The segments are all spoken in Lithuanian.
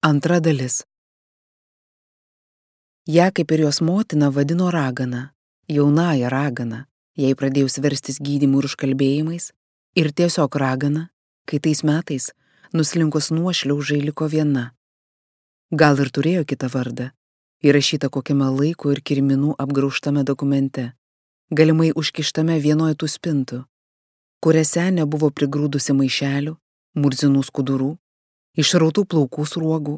Antra dalis. Ja kaip ir jos motina vadino ragana, jaunąja ragana, jai pradėjus verstis gydymų ir užkalbėjimais, ir tiesiog ragana, kai tais metais nuslinkus nuošliaužai liko viena. Gal ir turėjo kitą vardą, įrašytą kokiame laiko ir kirminų apgraužtame dokumente, galimai užkištame vienoje tų spintų, kuriuose nebuvo prigrūdusi maišelių, murzinų skudurų, išrautų plaukų sruogų,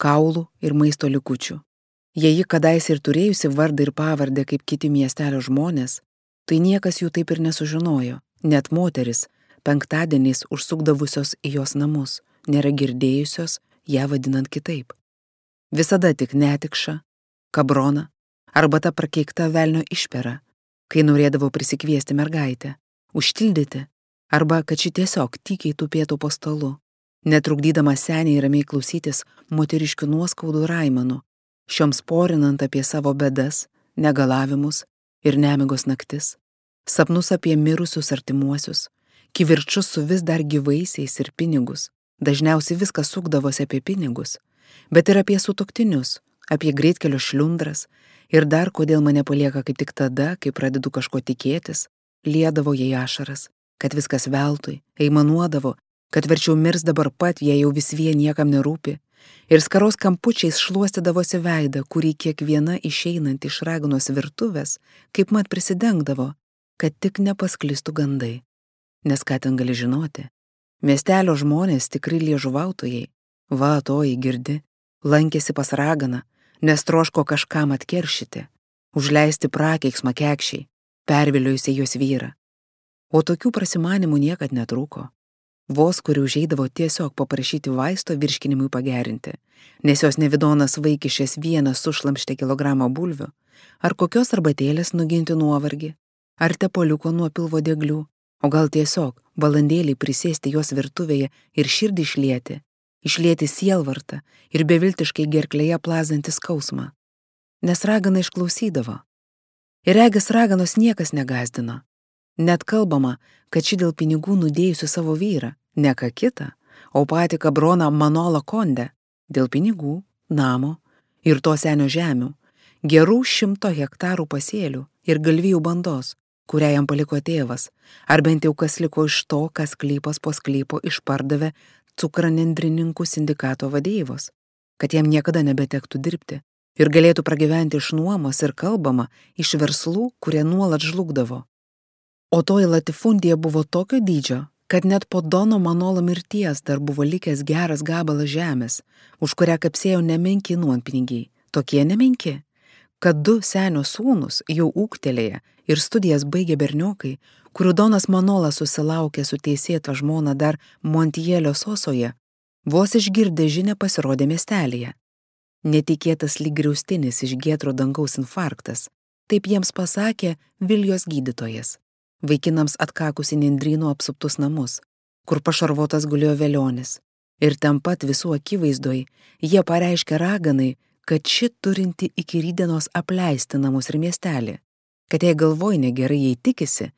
kaulų ir maisto likučių. Jei ji kadaise ir turėjusi vardą ir pavardę kaip kiti miestelio žmonės, tai niekas jų taip ir nesužinojo, net moteris, penktadieniais užsukdavusios į jos namus, nėra girdėjusios ją vadinant kitaip. Visada tik netikša, kabrona arba ta prakeikta velnio išpera, kai norėdavo prisikviesti mergaitę, užtildyti, arba kad ši tiesiog tykiai tupėtų po stalu, netrukdydama seniai ramiai klausytis moteriškių nuoskaudų ir aimanų, šioms porinant apie savo bedas, negalavimus ir nemigos naktis, sapnus apie mirusius artimuosius, kivirčus su vis dar gyvaisiais ir pinigus. Dažniausiai viskas sukdavosi apie pinigus, bet ir apie sutuoktinius, apie greitkelio šliundras ir dar kodėl mane palieka kaip tik tada, kai pradedu kažko tikėtis, liedavo jai ašaras, kad viskas veltui, aimanuodavo, kad verčiau mirs dabar pat, jei jau vis vien niekam nerūpi, ir skaros kampučiais šluostydavosi veidą, kurį kiekviena išeinant iš raganos virtuvės, kaip mat prisidengdavo, kad tik nepasklistų gandai. Nes ką ten gali žinoti? Miestelio žmonės tikrai liežuvautojai, va toji girdi, lankėsi pas raganą, nes troško kažkam atkeršyti, užleisti prakeiksmą kekščiai, perviliojusi jos vyrą. O tokių prasimanimų niekad netrūko. Vos kuri užeidavo tiesiog paprašyti vaisto virškinimui pagerinti, nes jos nevidonas vaikišės vieną sušlamštė kilogramą bulvių, ar kokios arbatėlės nuginti nuovargį, ar tepoliuko nuo pilvo deglių, o gal tiesiog valandėlį prisėsti jos virtuvėje ir širdį išlieti sielvartą ir beviltiškai gerklėje plazantį skausmą. Nes ragana išklausydavo. Ir regis raganos niekas negazdino. Net kalbama, kad ši dėl pinigų nudėjusi savo vyrą, ne ką kitą, o patį kabroną Manolą Kondę, dėl pinigų, namo ir to senio žemių, gerų 100 hektarų pasėlių ir galvijų bandos, kurią jam paliko tėvas, ar bent jau kas liko iš to, kas sklypas po sklypo išpardavė cukranendrininkų sindikato vadeivos, kad jam niekada nebetektų dirbti ir galėtų pragyventi iš nuomos ir kalbama iš verslų, kurie nuolat žlugdavo. O toji latifundija buvo tokio dydžio, kad net po Dono Manolo mirties dar buvo likęs geras gabalas žemės, už kurią kapsėjo nemenki nuompinigiai, tokie nemenki, kad 2 senio sūnus jau ūgtelėję ir studijas baigė berniokai, kurių Donas Manolas susilaukė su teisėta žmona dar Montielio Sosoje, vos išgirdę žinią pasirodė miestelėje. Netikėtas lyg griaustinis iš giedro dangaus infarktas, taip jiems pasakė Viljos gydytojas. Vaikinams atkakusi nendrynų apsuptus namus, kur pašarvotas gulėjo velionis. Ir ten pat visų akivaizdoj jie pareiškė raganai, kad ši turinti iki rytdienos apleisti namus ir miestelį, kad jai galvoj negerai jai tikisi,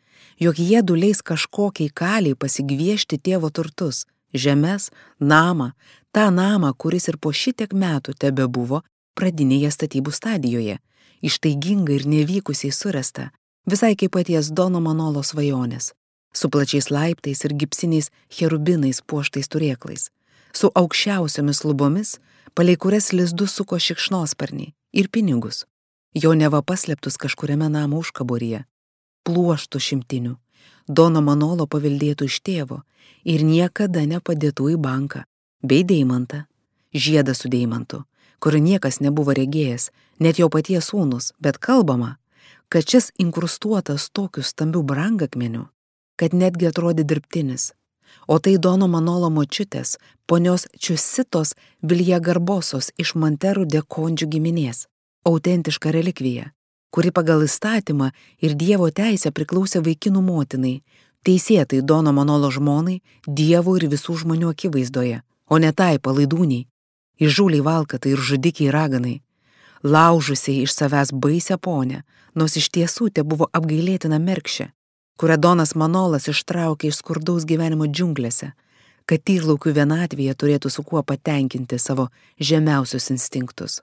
jog jie duleis kažkokiai kaliai pasigviešti tėvo turtus, žemes, namą, tą namą, kuris ir po šitiek metų tebebuvo pradinėje statybų stadijoje, ištaigingai ir nevykusiai suresta, visai kaip paties Dono Manolo svajonės, su plačiais laiptais ir gipsiniais cherubinais puoštais turėklais, su aukščiausiomis lubomis, palei kurias lizdus suko šikšnosparniai ir pinigus, jo neva paslėptus kažkuriame namo užkaboryje, pluoštų šimtinių, Dono Manolo paveldėtų iš tėvo ir niekada nepadėtų į banką, bei deimantą, žiedą su deimantu, kurio niekas nebuvo regėjęs, net jo paties sūnus, bet kalbama, kad šis inkrustuotas tokiu stambiu brangakmeniu, kad netgi atrodė dirbtinis. O tai Dono Manolo močiutės, ponios Čiusitos Viljagarbosos iš Manterų de Kondžių giminės, autentiška relikvija, kuri pagal įstatymą ir Dievo teisę priklausė vaikinų motinai, teisėtai Dono Manolo žmonai, Dievo ir visų žmonių akivaizdoje, o ne tai palaidūniai, įžūliai valkatai ir žudikiai raganai, laužusiai iš savęs baisią ponę, nors iš tiesų te buvo apgailėtina merkšė, kurią Donas Manolas ištraukė iš skurdaus gyvenimo džiunglėse, kad tyrlaukių vienatvėje turėtų su kuo patenkinti savo žemiausius instinktus.